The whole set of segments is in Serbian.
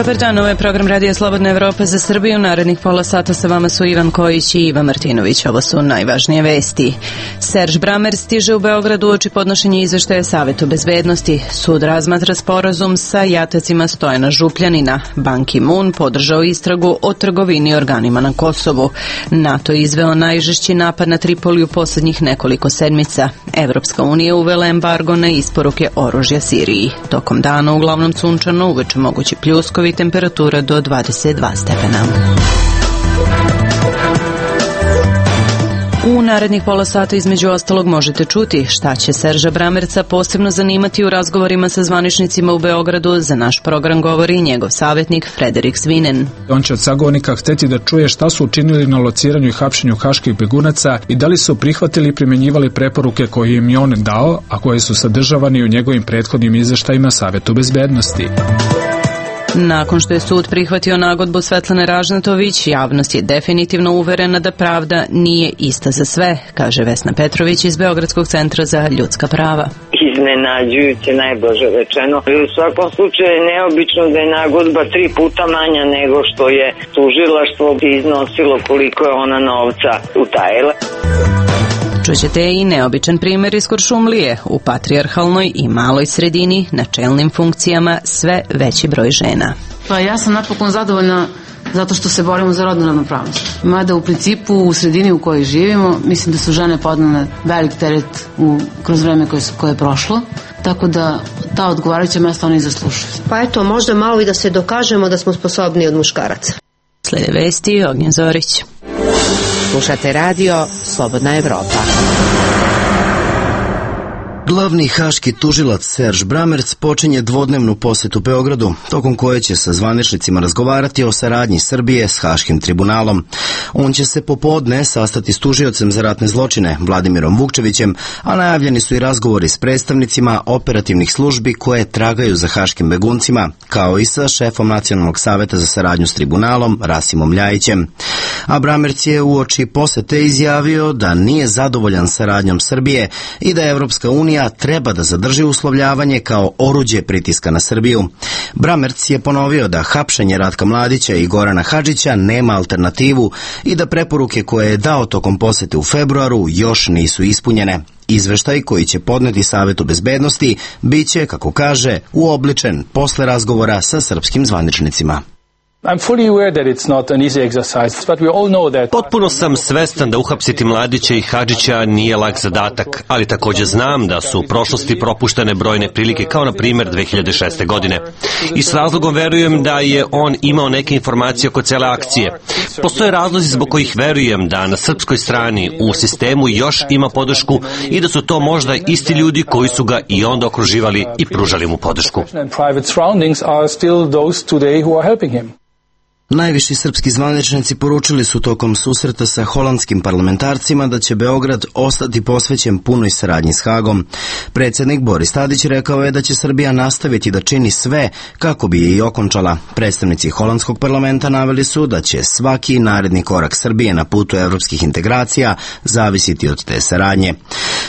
Dobar dan, ovo je program Radija Slobodna Evropa za Srbiju. Narednih pola sata sa vama su Ivan Kojić i Ivan Martinović. Ovo su najvažnije vesti. Serž Bramer stiže u Beogradu uoči podnošenja izveštaja Savetu bezbednosti. Sud razmatra sporazum sa jatacima Stojana Župljanina. Ban Ki-moon podržao istragu o trgovini organima na Kosovu. NATO je izveo najžešći napad na Tripoli u poslednjih nekoliko sedmica. Evropska unija uvela embargo na isporuke oružja Siriji. Tokom dana uglavnom sunčano, uveče mogući pljuskovi, temperatura do 22 stepena. U narednih pola sata između ostalog možete čuti šta će Serža Bramerca posebno zanimati u razgovorima sa zvaničnicima u Beogradu. Za naš program govori njegov savjetnik Frederik Svinen. On će od sagovornika hteti da čuje šta su učinili na lociranju i hapšenju haških begunaca i da li su prihvatili i primjenjivali preporuke koje im je on dao, a koje su sadržavani u njegovim prethodnim izveštajima Savetu bezbednosti. Nakon što je sud prihvatio nagodbu Svetlane Ražnatović, javnost je definitivno uverena da pravda nije ista za sve, kaže Vesna Petrović iz Beogradskog centra za ljudska prava. Iznenađujuće, najblaže rečeno. U svakom slučaju je neobično da je nagodba 3 puta manja nego što je tužilaštvo iznosilo koliko je ona novca utajila. Čućete i neobičan primjer iz Kuršumlije. U patrijarhalnoj i maloj sredini na čelnim funkcijama sve veći broj žena. Pa ja sam napokon zadovoljna zato što se borimo za rodnu ravnopravnost. Mada u principu u sredini u kojoj živimo mislim da su žene podnele velik teret kroz vreme koje je prošlo. Tako da ta odgovarajuća mesta oni zaslušuju. Pa eto, možda malo i da se dokažemo da smo sposobni od muškaraca. Slede vesti, Ognjen Zorić. Slušate radio Slobodna Evropa. Glavni haški tužilac Serž Bramerc počinje dvodnevnu posetu Beogradu, tokom koje će sa zvaničnicima razgovarati o saradnji Srbije s Haškim tribunalom. On će se popodne sastati s tužiocem za ratne zločine Vladimirom Vukčevićem, a najavljeni su i razgovori s predstavnicima operativnih službi koje tragaju za haškim beguncima, kao i sa šefom Nacionalnog saveta za saradnju s tribunalom Rasimom Ljajićem. A Bramerc je uoči posete izjavio da nije zadovoljan saradnjom Srbije i da Evropska unija treba da zadrži uslovljavanje kao oruđe pritiska na Srbiju. Bramerc je ponovio da hapšenje Ratka Mladića i Gorana Hadžića nema alternativu i da preporuke koje je dao tokom posete u februaru još nisu ispunjene. Izveštaj koji će podneti Savetu bezbednosti biće, kako kaže, uobličen posle razgovora sa srpskim zvaničnicima. Potpuno sam svestan da uhapsiti Mladića i Hadžića nije lak zadatak, ali također znam da su u prošlosti propuštene brojne prilike, kao na primjer 2006. godine. I s razlogom verujem da je on imao neke informacije oko cele akcije. Postoje razlozi zbog kojih verujem da na srpskoj strani u sistemu još ima podršku i da su to možda isti ljudi koji su ga i onda okruživali i pružali mu podršku. Najviši srpski zvaničnici poručili su tokom susreta sa holandskim parlamentarcima da će Beograd ostati posvećen punoj saradnji s Hagom. Predsjednik Boris Tadić rekao je da će Srbija nastaviti da čini sve kako bi je i okončala. Predstavnici holandskog parlamenta naveli su da će svaki naredni korak Srbije na putu evropskih integracija zavisiti od te saradnje.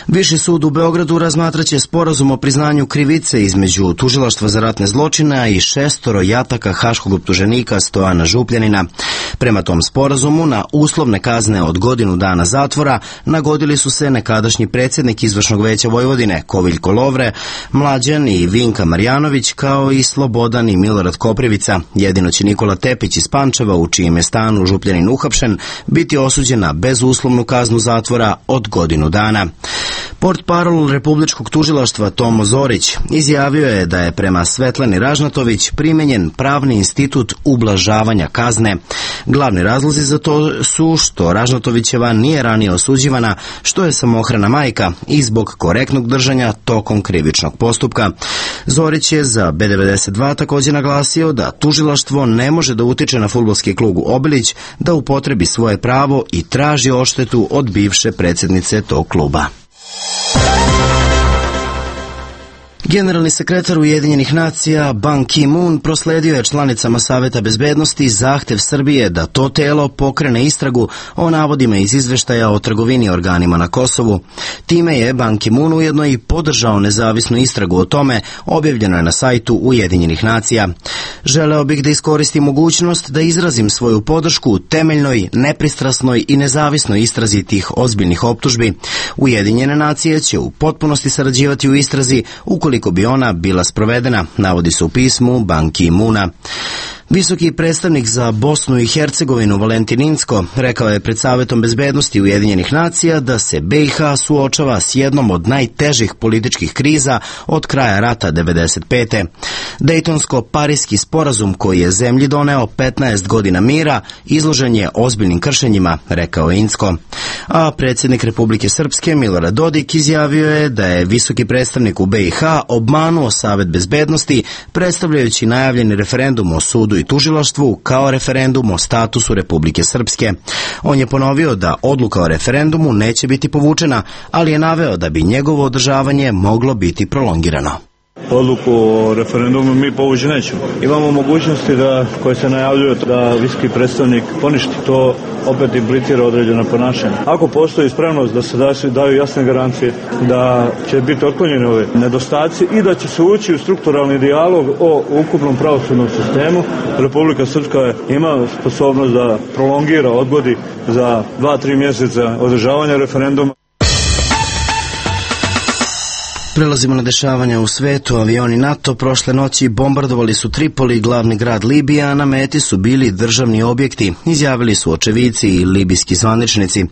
Viši sud u Beogradu razmatraće sporazum o priznanju krivice između Tužilaštva za ratne zločine i 6 jataka haškog optuženika Stojana Župljanina. Prema tom sporazumu na uslovne kazne od godinu dana zatvora nagodili su se nekadašnji predsjednik Izvršnog veća Vojvodine Koviljko Lovre, Mlađan i Vinka Marjanović, kao i Slobodan i Milorad Koprivica. Jedino će Nikola Tepić iz Pančeva, u čijem je stanu Župljanin uhapšen, biti osuđen na bezuslovnu kaznu zatvora od godinu dana. Portparol Republičkog tužilaštva Tomo Zorić izjavio je da je prema Svetlani Ražnatović primenjen pravni institut ublažavanja kazne. Glavni razlozi za to su što Ražnatovićeva nije ranije osuđivana, što je samohrana majka i zbog korektnog držanja tokom krivičnog postupka. Zorić je za B92 također naglasio da tužilaštvo ne može da utiče na fudbalski klub Obilić da upotrebi svoje pravo i traži odštetu od bivše predsjednice tog kluba. Generalni sekretar Ujedinjenih nacija Ban Ki-moon prosledio je članicama Saveta bezbednosti zahtev Srbije da to telo pokrene istragu o navodima iz izveštaja o trgovini organima na Kosovu. Time je Ban Ki-moon ujedno i podržao nezavisnu istragu o tome, objavljeno je na sajtu Ujedinjenih nacija. Želeo bih da iskoristim mogućnost da izrazim svoju podršku temeljnoj, nepristrasnoj i nezavisnoj istrazi tih ozbiljnih optužbi. Ujedinjene nacije će u potpunosti sarađivati u istrazi ukoliko bi ona bila sprovedena, navodi se u pismu Ban Ki-moona. Visoki predstavnik za Bosnu i Hercegovinu Valentin Incko rekao je pred Savetom bezbednosti Ujedinjenih nacija da se BiH suočava s jednom od najtežih političkih kriza od kraja rata 1995. Dejtonsko-Pariski sporazum koji je zemlji doneo 15 godina mira izložen je ozbiljnim kršenjima, rekao je Incko. A predsjednik Republike Srpske Milorad Dodik izjavio je da je visoki predstavnik u BiH obmanuo Savet bezbednosti predstavljajući najavljeni referendum o sudu i tužilaštvu kao referendum o statusu Republike Srpske. On je ponovio da odluka o referendumu neće biti povučena, ali je naveo da bi njegovo održavanje moglo biti prolongirano. Odluku o referendumu mi povući nećemo. Imamo mogućnosti koje se najavljuju da visoki predstavnik poništi. To opet implicira određeno ponašanje. Ako postoji spremnost da se daju jasne garancije da će biti otklonjeni ove nedostaci i da će se ući u strukturalni dijalog o ukupnom pravosudnom sistemu, Republika Srpska ima sposobnost da prolongira, odgodi za 2-3 mjeseca održavanja referenduma. Prelazimo na dešavanja u svetu. Avioni NATO prošle noći bombardovali su Tripoli, glavni grad Libije, a na meti su bili državni objekti, izjavili su očevici i libijski zvaničnici.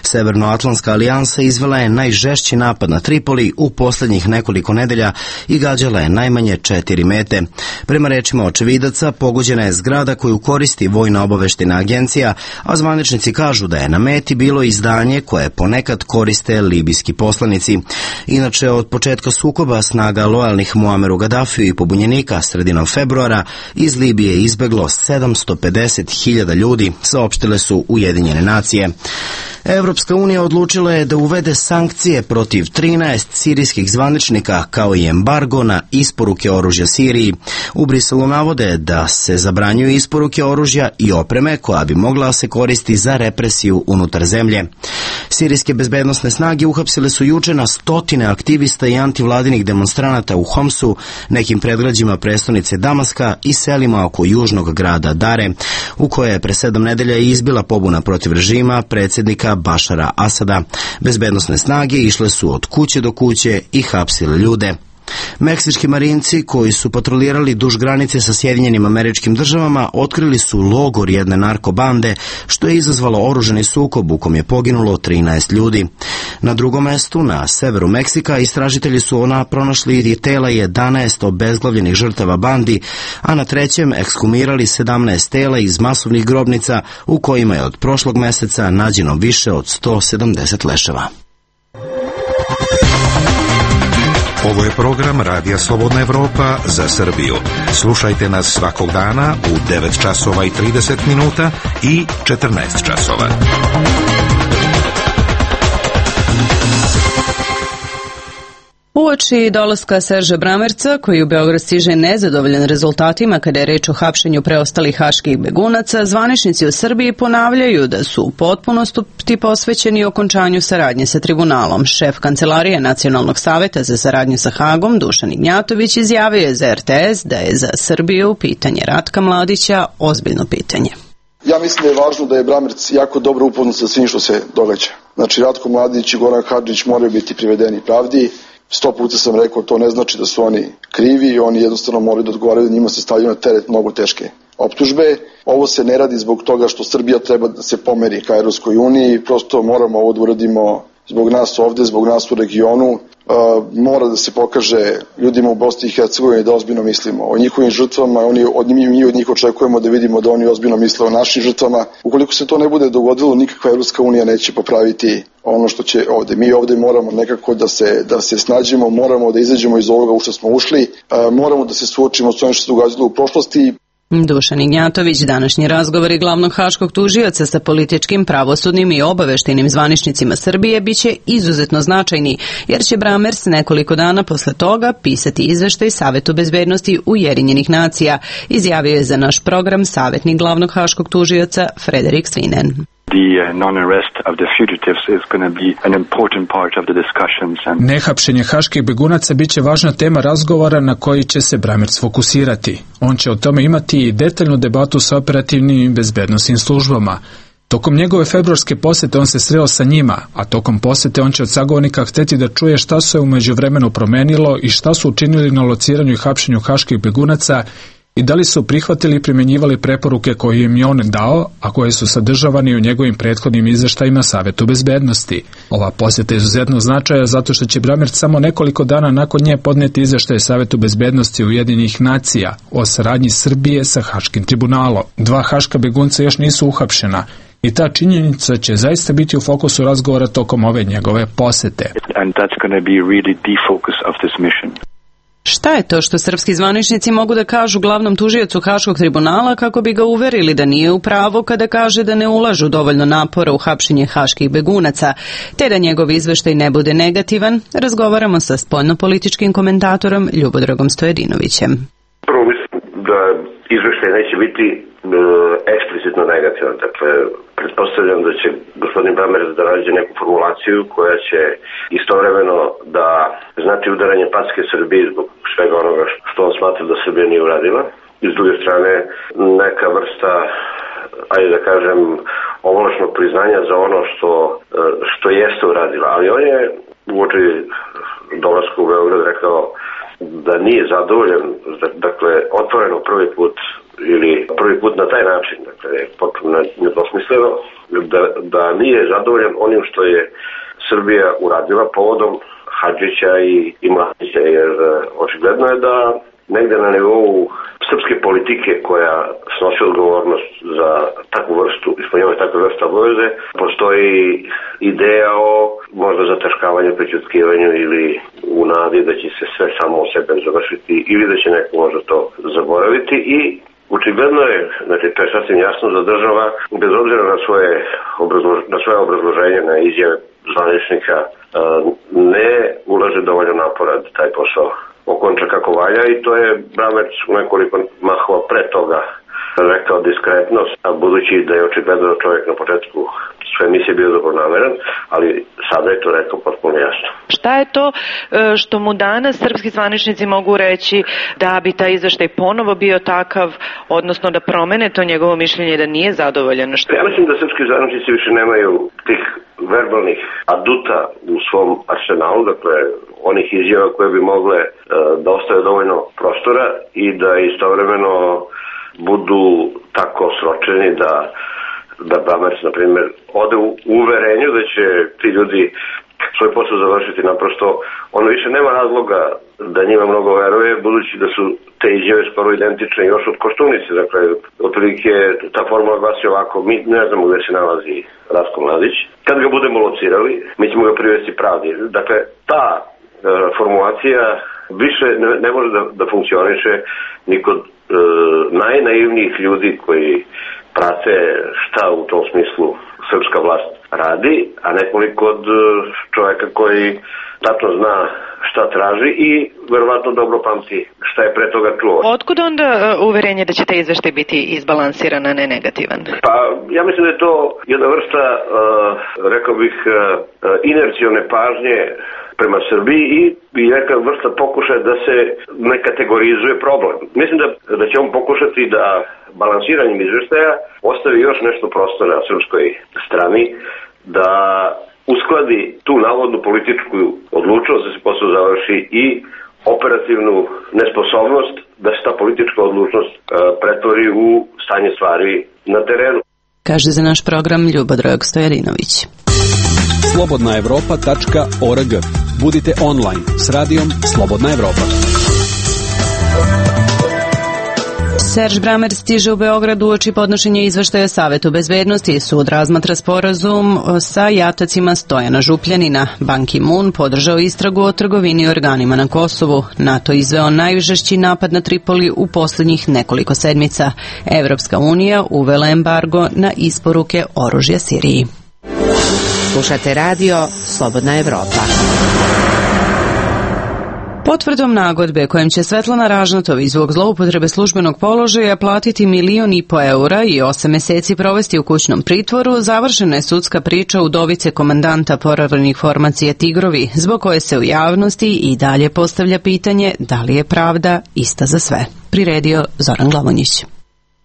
Severnoatlantska alijansa izvela je najžešći napad na Tripoli u posljednjih nekoliko nedelja i gađala je najmanje 4 mete. Prema rečima očevidaca, pogođena je zgrada koju koristi vojna obaveštajna agencija, a zvaničnici kažu da je na meti bilo izdanje koje ponekad koriste libijski poslanici. Inače, od početka sukoba snaga lojalnih Muameru Gaddafiju i pobunjenika sredinom februara iz Libije izbeglo 750.000 ljudi, saopštile su Ujedinjene nacije. Evropska unija odlučila je da uvede sankcije protiv 13 sirijskih zvaničnika kao i embargo na isporuke oružja Siriji. U Briselu navode da se zabranjuju isporuke oružja i opreme koja bi mogla se koristiti za represiju unutar zemlje. Sirijske bezbednosne snage uhapsile su juče na stotine aktivista i antivladinih demonstranata u Homsu, nekim predgrađima prestonice Damaska i selima oko južnog grada Dare, u koje je pre 7 nedelja izbila pobuna protiv režima predsjednika Bašara Asada. Bezbednosne snage išle su od kuće do kuće i hapsile ljude. Meksički marinci koji su patrolirali duž granice sa Sjedinjenim Američkim Državama otkrili su logor jedne narkobande, što je izazvalo oružani sukob u kom je poginulo 13 ljudi. Na drugom mestu, na severu Meksika, istražitelji su pronašli tela 11 obezglavljenih žrtava bandi, a na trećem ekshumirali 17 tela iz masovnih grobnica u kojima je od prošlog meseca nađeno više od 170 leševa. Ovo je program Radija Slobodna Evropa za Srbiju. Slušajte nas svakog dana u 9 časova i 30 minuta i 14 časova. Uoči dolaska Serža Bramerca, koji u Beograd stiže nezadovoljan rezultatima kada je reč o hapšenju preostalih haških begunaca, zvaničnici u Srbiji ponavljaju da su u potpunosti posvećeni okončanju saradnje sa tribunalom. Šef Kancelarije Nacionalnog saveta za saradnju sa Hagom, Dušan Ignjatović, izjavio je za RTS da je za Srbiju pitanje Ratka Mladića ozbiljno pitanje. Ja mislim da je važno da je Bramerc jako dobro upoznat sa svim što se događa. Znači, Ratko Mladić i Goran Hadžić moraju biti privedeni pravdi. 100 puta sam rekao, to ne znači da su oni krivi, oni jednostavno moraju da odgovaraju, njima se stavljaju na teret mnogo teške optužbe. Ovo se ne radi zbog toga što Srbija treba da se pomeri ka Evropskoj uniji, prosto moramo ovo da uradimo zbog nas ovde, zbog nas u regionu. Mora da se pokaže ljudima u Bosni i Hercegovini da ozbiljno mislimo o njihovim žrtvama, mi od njih očekujemo da vidimo da oni ozbiljno misle o našim žrtvama. Ukoliko se to ne bude dogodilo, nikakva Evropska unija neće popraviti ono što će ovde. Mi ovde moramo nekako da se snađemo, moramo da izađemo iz ovoga u što smo ušli, moramo da se suočimo s onim što se događalo u prošlosti. Dušan Ignjatović, današnji razgovori glavnog haškog tužioca sa političkim, pravosudnim i obaveštajnim zvaničnicima Srbije biće izuzetno značajni, jer će Bramers nekoliko dana posle toga pisati izveštaj Savetu bezbednosti Ujedinjenih nacija, izjavio je za naš program savjetnik glavnog haškog tužioca Frederik Svinen. Nehapšenje haških begunaca biće važna tema razgovora na koji će se Bramers fokusirati. On će o tome imati i detaljnu debatu sa operativnim i bezbednosnim službama. Tokom njegove februarske posete on se sreo sa njima, a tokom posete on će od sagovornika hteti da čuje šta se u međuvremenu promenilo i šta su učinili na lociranju i hapšenju haških begunaca i da li su prihvatili i primjenjivali preporuke koje im je on dao, a koje su sadržavani u njegovim prethodnim izveštajima Savetu bezbednosti. Ova posjeta je izuzetno značaja zato što će Bramers samo nekoliko dana nakon nje podneti izveštaj Savetu bezbednosti Ujedinjenih nacija o saradnji Srbije sa Haškim tribunalom. 2 haška begunca još nisu uhapšena i ta činjenica će zaista biti u fokusu razgovora tokom ove njegove posete. Šta je to što srpski zvaničnici mogu da kažu glavnom tužiocu Haškog tribunala kako bi ga uverili da nije u pravu kada kaže da ne ulažu dovoljno napora u hapšenje haških begunaca, te da njegov izveštaj ne bude negativan? Razgovaramo sa spoljnopolitičkim komentatorom Ljubodragom Stojadinovićem. Prvo mislim da izveštaj neće biti eksplicitno negativan. Dakle, pretpostavljam da će gospodin Bramers da nađe neku formulaciju koja će istovremeno da znači udaranje packe Srbiji zbog svega onoga što on smatra da Srbija nije uradila. I s druge strane neka vrsta, ajde da kažem, ovlašnog priznanja za ono što jeste uradila. Ali on je uoči dolaska u Beograd rekao da nije zadovoljan, dakle, otvoreno prvi put na taj način, dakle, potpuno nedvosmisleno, da nije zadovoljan onim što je Srbija uradila povodom Hadžića i Mladića, jer očigledno je da negde na nivou srpske politike koja snosi odgovornost za takvu vrstu, ispunjavanje takve vrste obaveze, postoji ideja o možda zataškavanju, prećutkivanju ili u nadi da će se sve samo o sebe završiti ili da će neko možda to zaboraviti i očigledno je, znači to je sasvim jasno da država, bez obzira na svoje obrazloženje, na izjave zvaničnika, ne ulaže dovoljno napora da taj posao okonča kako valja i to je Bramers nekoliko mahova pre toga rekao diskretno, a budući da je očigledno čovjek na početku sve emisije bio dobronameran, ali sada je to rekao potpuno jasno. Šta je to što mu danas srpski zvaničnici mogu reći da bi taj izveštaj ponovo bio takav, odnosno da promene to njegovo mišljenje da nije zadovoljeno? Ja mislim da srpski zvaničnici više nemaju tih verbalnih aduta u svom arsenalu, dakle onih izjava koje bi mogle da ostave dovoljno prostora i da istovremeno budu tako sročeni da Bramers, na primjer, ode u uverenju da će ti ljudi svoj posao završiti. Naprosto, ono više nema razloga da njima mnogo veruje, budući da su te izjave skoro identične još od Koštunice. Dakle, otprilike ta formula glasi ovako, mi ne znamo gde se nalazi Ratko Mladić. Kad ga budemo locirali, mi ćemo ga privesti pravdi. Dakle, ta formulacija više ne može da funkcioniše ni kod najnaivnijih ljudi koji prate šta u tom smislu srpska vlast radi, a nekoliko kod čovjeka koji tačno zna šta traži i verovatno dobro pamti šta je pre toga čuo. Otkud onda uverenje da će taj izveštaj biti izbalansiran, a ne negativan? Pa ja mislim da je to jedna vrsta, rekao bih, inercione pažnje prema Srbiji i neka vrsta pokušaja da se ne kategorizuje problem. Mislim da će on pokušati da balansiranjem izveštaja ostavi još nešto prostora na srpskoj strani, da uskladi tu navodnu političku odlučnost da se posao završi i operativnu nesposobnost da se ta politička odlučnost pretvori u stanje stvari na terenu. Kaže za naš program Ljubodrag Stojadinović. slobodnaevropa.org. Budite online s radijom Slobodna Evropa. Serž Bramer stiže u Beograd uoči podnošenja izveštaja Savetu bezbednosti. Sud razmatra sporazum sa jatacima Stojana Župljanina. Ban Ki-moon podržao istragu o trgovini organima na Kosovu. NATO izveo najžešći napad na Tripoli u posljednjih nekoliko sedmica. Evropska unija uvela embargo na isporuke oružja Siriji. Slušate radio Slobodna Evropa. Potvrdom nagodbe kojim će Svetlana Ražnatović zbog zloupotrebe službenog položaja platiti 1,5 miliona eura i 8 meseci provesti u kućnom pritvoru, završena je sudska priča udovice komandanta poravljenih formacija Tigrovi, zbog koje se u javnosti i dalje postavlja pitanje da li je pravda ista za sve. Priredio Zoran Glavonjić.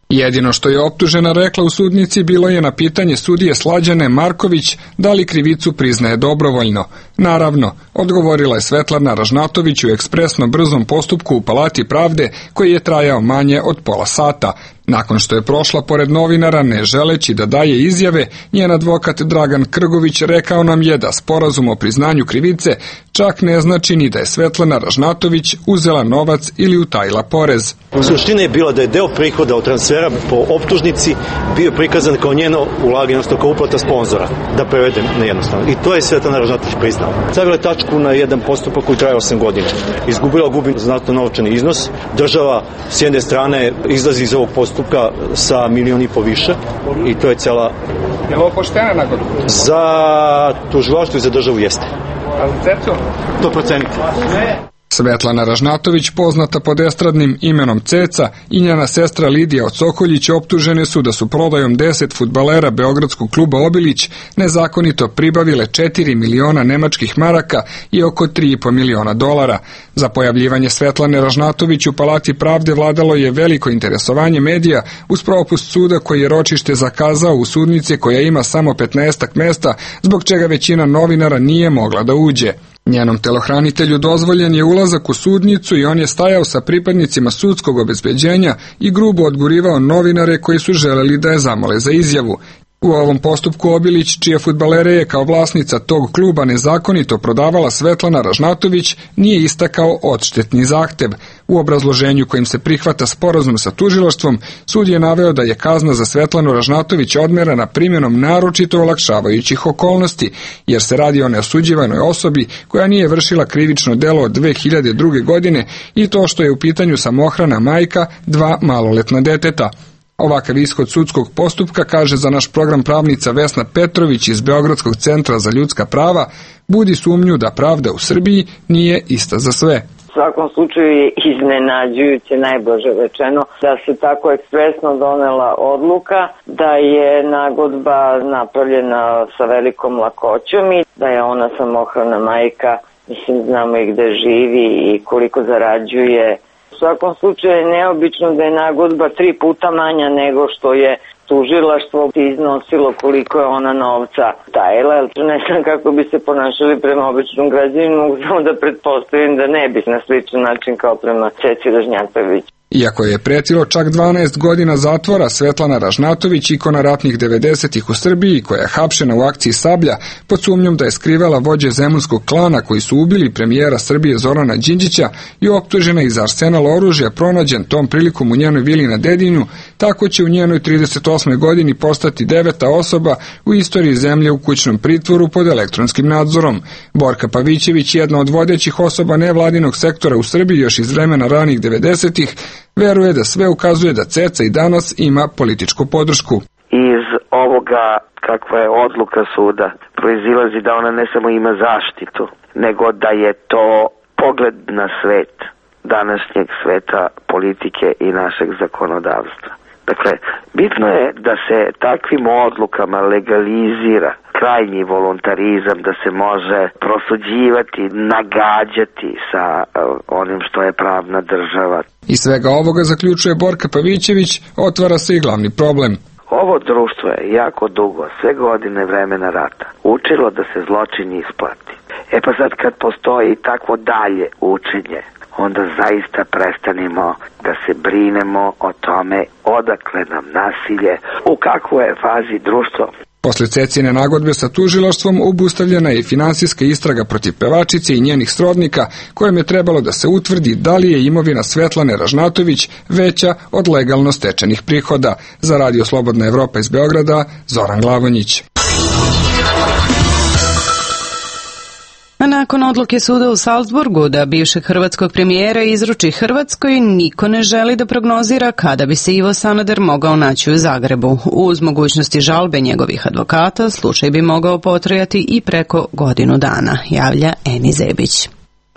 Jedino što je optužena rekla u sudnici bilo je na pitanje sudije Slađane Marković da li krivicu priznaje dobrovoljno. Naravno, odgovorila je Svetlana Ražnatović u ekspresno brzom postupku u Palati pravde koji je trajao manje od pola sata. Nakon što je prošla pored novinara ne želeći da daje izjave, njen advokat Dragan Krgović rekao nam je da sporazum o priznanju krivice čak ne znači ni da je Svetlana Ražnatović uzela novac ili utajila porez. Suština je bila da je deo prihoda od transfera po optužnici bio prikazan kao njeno ulaganje, odnosno kao uplata sponzora, da prevedem na jednostavno. I to je Svetlana Ražnatović priznala. Stavila je tačku na jedan postupak koji traje 8 godina. Izgubila gubi znatno novčani iznos. Država s jedne strane izlazi iz ovog postupka sa 1,5 miliona više i to je cela... Je li ovo poštena nagodba? Za tužilaštvo i za državu jeste. A za Cecu? To procenite. Svetlana Ražnatović, poznata pod estradnim imenom Ceca, i njena sestra Lidija Ocokoljić optužene su da su prodajom 10 fudbalera Beogradskog kluba Obilić nezakonito pribavile 4 miliona nemačkih maraka i oko 3,5 miliona dolara. Za pojavljivanje Svetlane Ražnatović u Palati pravde vladalo je veliko interesovanje medija uz propust suda koji je ročište zakazao u sudnici koja ima samo 15 mesta, zbog čega većina novinara nije mogla da uđe. Njenom telohranitelju dozvoljen je ulazak u sudnicu i on je stajao sa pripadnicima sudskog obezbeđenja i grubo odgurivao novinare koji su želeli da je zamole za izjavu. U ovom postupku Obilić, čije fudbalere je kao vlasnica tog kluba nezakonito prodavala Svetlana Ražnatović, nije istakao odštetni zahtev. U obrazloženju kojim se prihvata sporazum sa tužilaštvom, sud je naveo da je kazna za Svetlanu Ražnatović odmerena primjenom naročito olakšavajućih okolnosti, jer se radi o neosuđivanoj osobi koja nije vršila krivično delo od 2002. godine i to što je u pitanju samohrana majka 2 maloletna deteta. Ovakav ishod sudskog postupka, kaže za naš program pravnica Vesna Petrović iz Beogradskog centra za ljudska prava, budi sumnju da pravda u Srbiji nije ista za sve. U svakom slučaju je iznenađujuće, najblaže rečeno, da se tako ekspresno donela odluka, da je nagodba napravljena sa velikom lakoćom i da je ona samohrana majka, mislim znamo i gde živi i koliko zarađuje. U svakom slučaju je neobično da je nagodba 3 puta manja nego što je tužilaštvo iznosilo koliko je ona novca tajila. Ne znam kako bi se ponašali prema običnom građaninu, mogu samo da pretpostavim da ne bi na sličan način kao prema Ceci Ražnjatović. Iako je pretilo čak 12 godina zatvora, Svetlana Ražnatović, ikona ratnih 90-ih u Srbiji, koja je hapšena u akciji Sablja, pod sumnjom da je skrivala vođe zemunskog klana koji su ubili premijera Srbije Zorana Đinđića i optužena iz arsenala oružja pronađen tom prilikom u njenoj vili na Dedinju, tako će u njenoj 38. godini postati 9. osoba u istoriji zemlje u kućnom pritvoru pod elektronskim nadzorom. Borka Pavićević, jedna od vodećih osoba nevladinog sektora u Srbiji još iz vremena ranih 90-ih, veruje da sve ukazuje da Ceca i danas ima političku podršku. Iz ovoga kakva je odluka suda proizilazi da ona ne samo ima zaštitu, nego da je to pogled na svet, današnjeg sveta politike i našeg zakonodavstva. Dakle, bitno je da se takvim odlukama legalizira krajnji voluntarizam, da se može prosuđivati, nagađati sa onim što je pravna država. Iz svega ovoga, zaključuje Borka Pavićević, otvara se i glavni problem. Ovo društvo je jako dugo, sve godine vremena rata, učilo da se zločin isplati. E pa sad kad postoji takvo dalje učenje, onda zaista prestanimo da se brinemo o tome odakle nam nasilje, u kakvoj je fazi društvo. Posle Cecine nagodbe sa tužilaštvom obustavljena je finansijska istraga protiv pevačice i njenih srodnika, kojem je trebalo da se utvrdi da li je imovina Svetlane Ražnatović veća od legalno stečenih prihoda. Za Radio Slobodna Evropa iz Beograda, Zoran Glavonjić. A nakon odluke suda u Salzburgu da bivšeg hrvatskog premijera izruči Hrvatskoj, niko ne želi da prognozira kada bi se Ivo Sanader mogao naći u Zagrebu. Uz mogućnosti žalbe njegovih advokata, slučaj bi mogao potrajati i preko godinu dana, javlja Eni Zebić.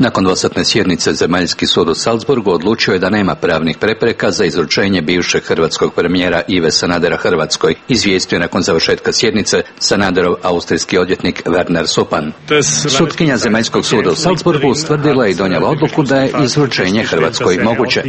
Nakon dvosatne sjednice, Zemaljski sud u Salzburgu odlučio je da nema pravnih prepreka za izručenje bivšeg hrvatskog premijera Ive Sanadera Hrvatskoj, izvijestio nakon završetka sjednice Sanaderov austrijski odvjetnik Werner Supan. Sutkinja Zemaljskog suda u Salzburgu ustvrdila i donijela odluku da je izručenje Hrvatskoj moguće.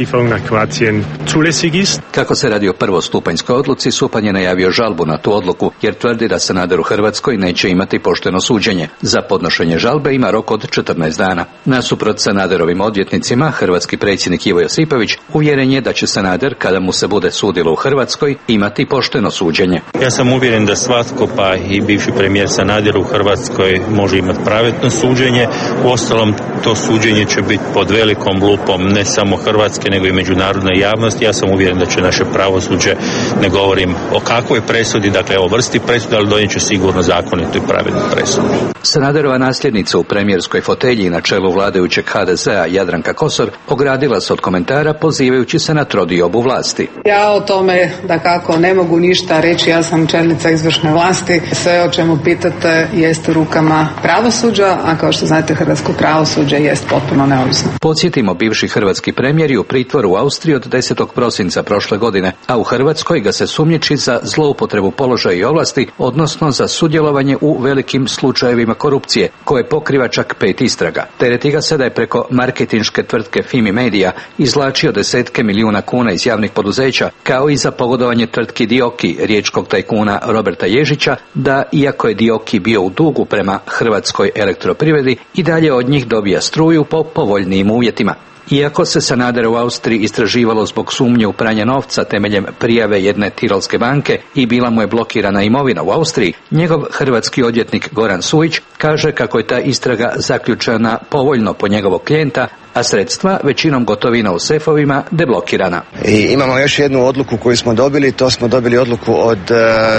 Kako se radi o prvostupanjskoj odluci, Supan je najavio žalbu na tu odluku, jer tvrdi da Sanader u Hrvatskoj neće imati pošteno suđenje. Za podnošenje žalbe ima rok od 14 dana. Nasuprot Sanaderovim odvjetnicima, hrvatski predsjednik Ivo Josipović uvjeren je da će Sanader, kada mu se bude sudilo u Hrvatskoj, imati pošteno suđenje. Ja sam uvjeren da svatko, pa i bivši premijer Sanader u Hrvatskoj, može imati pravedno suđenje. Uostalom, to suđenje će biti pod velikom lupom ne samo Hrvatske, nego i međunarodne javnosti. Ja sam uvjeren da će naše pravosuđe, ne govorim o kakvoj presudi, dakle o vrsti presude, ali donijet će sigurno zakonitu i pravednu presudu. Sanaderova nasljednica u premijerskoj fotelji na čelu vladajućeg HDZ-a Jadranka Kosor ogradila se od komentara pozivajući se na trodiobu vlasti. Ja o tome dakako ne mogu ništa reći, ja sam čelnica izvršne vlasti. Sve o čemu pitate jest u rukama pravosuđa, a kao što znate hrvatsko pravosuđe jest potpuno neovisno. Podsjetimo, bivši hrvatski premijer je u pritvoru u Austriji od 10. prosinca prošle godine, a u Hrvatskoj ga se sumnjiči za zloupotrebu položaja i ovlasti, odnosno za sudjelovanje u velikim slučajevima korupcije, koje pokriva čak 5 istraga. Tereti ga se da je preko marketinške tvrtke Fimi Media izvlačio desetke milijuna kuna iz javnih poduzeća, kao i za pogodovanje tvrtki Dioki, riječkog tajkuna Roberta Ježića, da iako je Dioki bio u dugu prema Hrvatskoj elektroprivredi, i dalje od njih dobija struju po povoljnijim uvjetima. Iako se Sanadera u Austriji istraživalo zbog sumnje u pranje novca temeljem prijave jedne tirolske banke i bila mu je blokirana imovina u Austriji, njegov hrvatski odvjetnik Goran Sujić kaže kako je ta istraga zaključena povoljno po njegovog klijenta, a sredstva, većinom gotovina u sefovima, deblokirana. I imamo još jednu odluku koju smo dobili, to smo dobili odluku od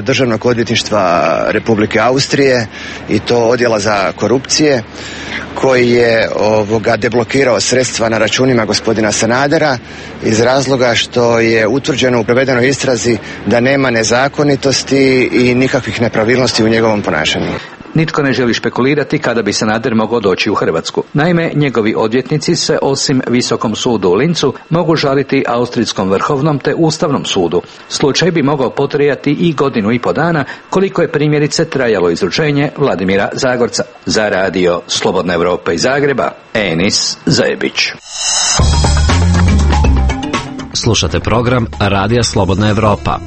Državnog odvjetništva Republike Austrije i to odjela za korupcije, koji je deblokirao sredstva na računima gospodina Sanadera iz razloga što je utvrđeno u provedenoj istrazi da nema nezakonitosti i nikakvih nepravilnosti u njegovom ponašanju. Nitko ne želi špekulirati kada bi Sanader mogao doći u Hrvatsku. Naime, njegovi odvjetnici se osim Visokom sudu u Lincu mogu žaliti Austrijskom vrhovnom te Ustavnom sudu. Slučaj bi mogao potrajati i 1,5 dana, koliko je primjerice trajalo izručenje Vladimira Zagorca. Za Radio Slobodna Evropa iz Zagreba, Enis Zebić. Slušate program Radija Slobodna Evropa.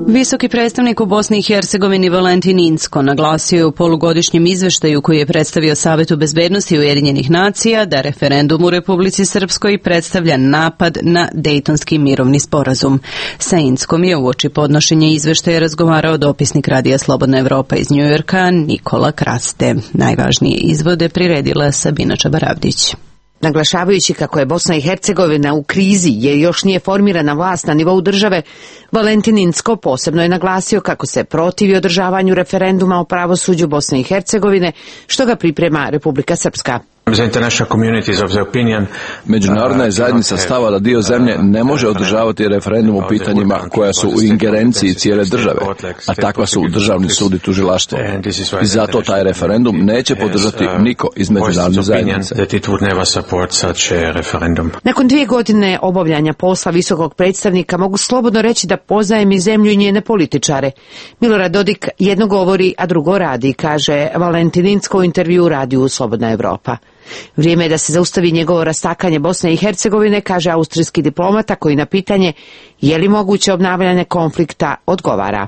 Visoki predstavnik u Bosni i Hercegovini Valentin Incko naglasio je u polugodišnjem izveštaju koji je predstavio Savetu bezbednosti Ujedinjenih nacija da referendum u Republici Srpskoj predstavlja napad na Dejtonski mirovni sporazum. Sa Inckom je uoči podnošenja izveštaja razgovarao dopisnik Radija Slobodna Evropa iz Njujorka Nikola Kraste. Najvažnije izvode priredila Sabina Čabaravdić. Naglašavajući kako je Bosna i Hercegovina u krizi jer još nije formirana vlast na nivou države, Valentin Incko posebno je naglasio kako se protivi održavanju referenduma o pravosuđu Bosne i Hercegovine, što ga priprema Republika Srpska. Međunarodna je zajednica stava da dio zemlje ne može održavati referendum u pitanjima koja su u ingerenciji cijele države, a takva su državni sud i tužilaštvo. I zato taj referendum neće podržati niko iz međunarodne zajednice. Nakon 2 godine obavljanja posla visokog predstavnika mogu slobodno reći da poznajem i zemlju i njene političare. Milorad Dodik jedno govori, a drugo radi, kaže Valentin Incko u intervju u Radiju Slobodna Evropa. Vrijeme je da se zaustavi njegovo rastakanje Bosne i Hercegovine, kaže austrijski diplomata koji na pitanje je li moguće obnavljanje konflikta odgovara.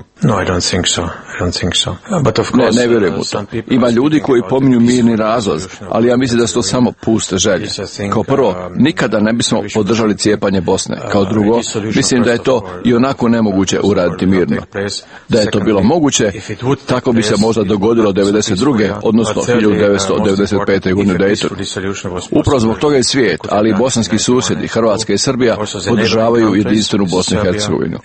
Ne vjerujem u to. Ima ljudi koji pominju mirni razlaz, ali ja mislim da su to samo puste želje. Kao prvo, nikada ne bismo podržali cijepanje Bosne. Kao drugo, mislim da je to i onako nemoguće uraditi mirno. Da je to bilo moguće, tako bi se možda dogodilo 1992. odnosno 1995. godine u Daytonu. Upravo zbog toga je svijet, ali i bosanski susjedi, Hrvatska i Srbija, podržavaju jedinstvenu Bosnu i Hercegovinu.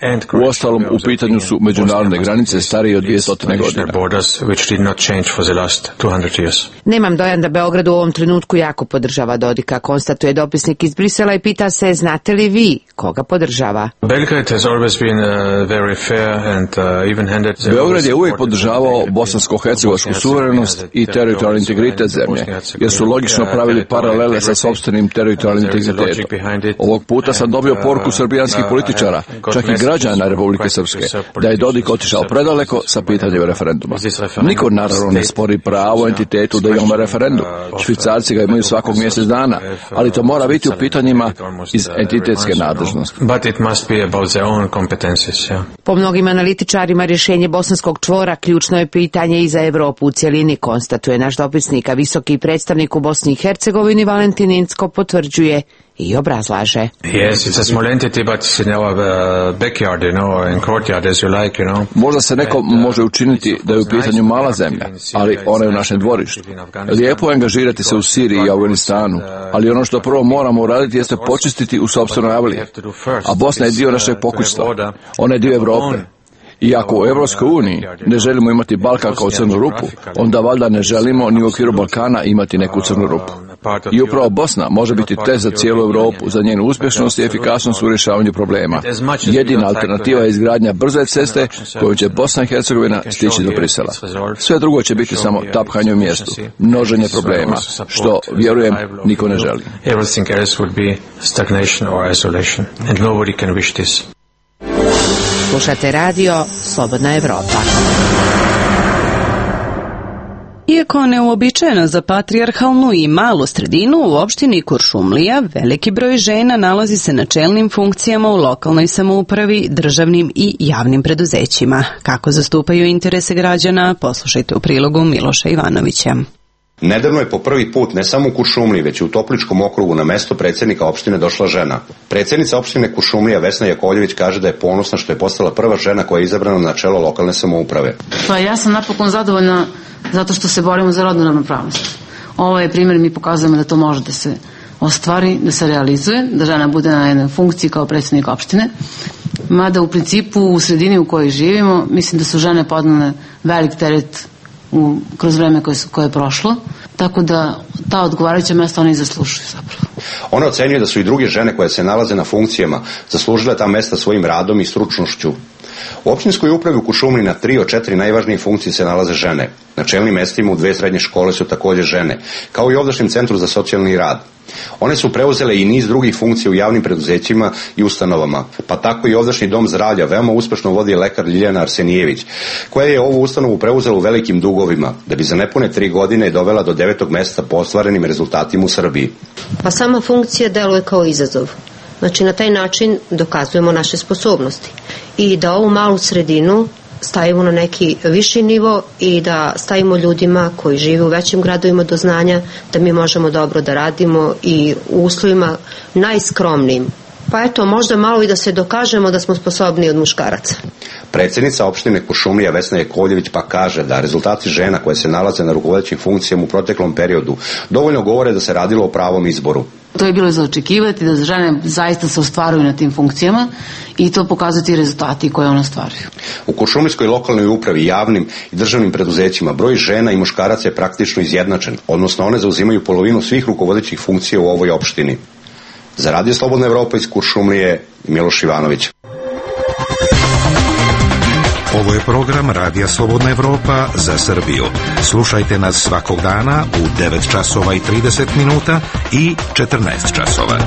Uostalom, u pitanju su međunarodne granice starije od 200 godina. Nemam dojam da Beograd u ovom trenutku jako podržava Dodika, konstatuje dopisnik iz Brisela i pita se, znate li vi koga podržava? Beograd je uvijek podržavao bosansko-hercegovačku suverenost i teritorijalni integritet zemlje, jer su logično pravili paralele sa sopstvenim teritorijalnim integritetom. Ovog puta sam dobio poruku srbijanskih političara, čak i građana Republike Srpske, da je Dodik otišao predaleko sa pitanjem referenduma. Niko naravno ne spori pravo entitetu da imamo referendum. Švicarci ga imaju svakog mjesec dana, ali to mora biti u pitanjima iz entitetske nadležnosti. Po mnogim analitičarima rješenje bosanskog čvora ključno je pitanje i za Evropu u cjelini, konstatuje naš dopisnik, a visoki predstavnik u Bosni i Hercegovini Valentin Incko potvrđuje i obrazlaže. Možda se neko može učiniti da je u pitanju mala zemlja, ali ona je u našem dvorištu. Lijepo je angažirati se u Siriji i Afganistanu, ali ono što prvo moramo uraditi jeste počistiti u sopstvenoj avliji. A Bosna je dio našeg pokućstva. Ona je dio Evrope. I ako u Evropskoj uniji ne želimo imati Balkan kao crnu rupu, onda valjda ne želimo ni u okviru Balkana imati neku crnu rupu. I upravo Bosna može biti test za cijelu Europu, za njenu uspješnost i efikasnost u rješavanju problema. Jedina alternativa je izgradnja brze ceste koju će Bosna i Hercegovina stići do Brisela. Sve drugo će biti samo tapkanje u mjestu, množenje problema, što, vjerujem, niko ne želi. Slušate radio Slobodna Evropa. Iako neuobičajeno za patrijarhalnu i malu sredinu, u opštini Kuršumlija veliki broj žena nalazi se na čelnim funkcijama u lokalnoj samoupravi, državnim i javnim preduzećima. Kako zastupaju interese građana, poslušajte u prilogu Miloša Ivanovića. Nedavno je po prvi put ne samo u Kuršumliji, već i u Topličkom okrugu na mesto predsjednika opštine došla žena. Predsjednica opštine Kuršumlija Vesna Jakovljević kaže da je ponosna što je postala prva žena koja je izabrana na čelo lokalne samouprave. Pa ja sam napokon zadovoljna zato što se borimo za rodnu ravnopravnost. Ovo je primjer, mi pokazujemo da to može da se ostvari, da se realizuje, da žena bude na jednoj funkciji kao predsjednik opštine. Mada u principu u sredini u kojoj živimo, mislim da su žene podnele velik teret kroz vreme koje je prošlo, tako da ta odgovarajuća mesta one i zaslužuju zapravo. Ona ocenjuje da su i druge žene koje se nalaze na funkcijama zaslužile ta mesta svojim radom i stručnošću. U općinskoj upravi u Kuršumliji na 3 od 4 najvažnije funkcije se nalaze žene. Na čelnim mestima u 2 srednje škole su također žene, kao i ovdašnjem centru za socijalni rad. One su preuzele i niz drugih funkcija u javnim preduzećima i ustanovama, pa tako i ovdašnji dom zdravlja veoma uspešno vodi lekar Ljiljana Arsenijević, koja je ovu ustanovu preuzela u velikim dugovima, da bi za nepune 3 godine dovela do 9. mjesta po ostvarenim rezultatima u Srbiji. Pa sama funkcija deluje kao izazov. Znači na taj način dokazujemo naše sposobnosti i da ovu malu sredinu stavimo na neki viši nivo i da stavimo ljudima koji žive u većim gradovima do znanja da mi možemo dobro da radimo i u uslovima najskromnijim. Pa eto, možda malo i da se dokažemo da smo sposobni od muškaraca. Predsjednica opštine Kuršumlija Vesna Jakovljević pa kaže da rezultati žena koje se nalaze na rukovodećim funkcijama u proteklom periodu dovoljno govore da se radilo o pravom izboru. To je bilo za očekivati da žene zaista se ostvaruju na tim funkcijama i to pokazuju ti rezultati koje one ostvaruju. U Kuršumlijskoj lokalnoj upravi, javnim i državnim preduzećima broj žena i muškaraca je praktično izjednačen, odnosno one zauzimaju polovinu svih rukovodećih funkcija u ovoj opštini. Za Radio Slobodna Evropa iz Kuršumlije, Miloš Ivanović. Ovo je program Radija Slobodna Evropa za Srbiju. Slušajte nas svakog dana u 9 časova i 30 minuta i 14 časova.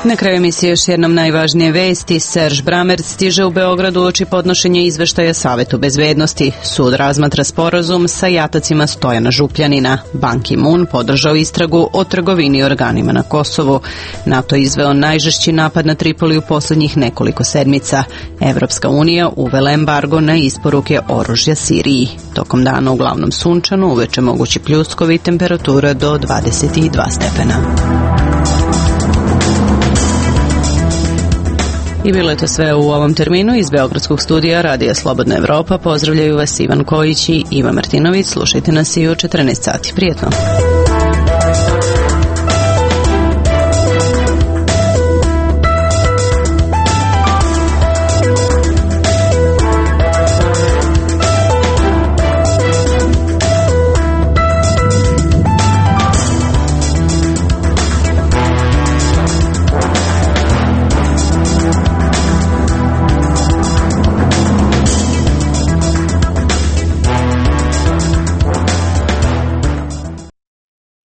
Na kraju emisije još jednom najvažnije vesti. Serž Brammertz stiže u Beogradu uoči podnošenja izveštaja Savetu bezbednosti. Sud razmatra sporazum sa jatacima Stojana Župljanina. Ban Ki-moon podržao istragu o trgovini organima na Kosovu. NATO izveo najžešći napad na Tripoli u posljednjih nekoliko sedmica. Evropska unija uvela embargo na isporuke oružja Siriji. Tokom dana uglavnom sunčano, uveče mogući pljuskovi, temperatura do 22 stepena. I bilo je to sve u ovom terminu. Iz Beogradskog studija Radija Slobodna Evropa pozdravljaju vas Ivan Kojić i Iva Martinović. Slušajte nas i u 14 sati. Prijetno!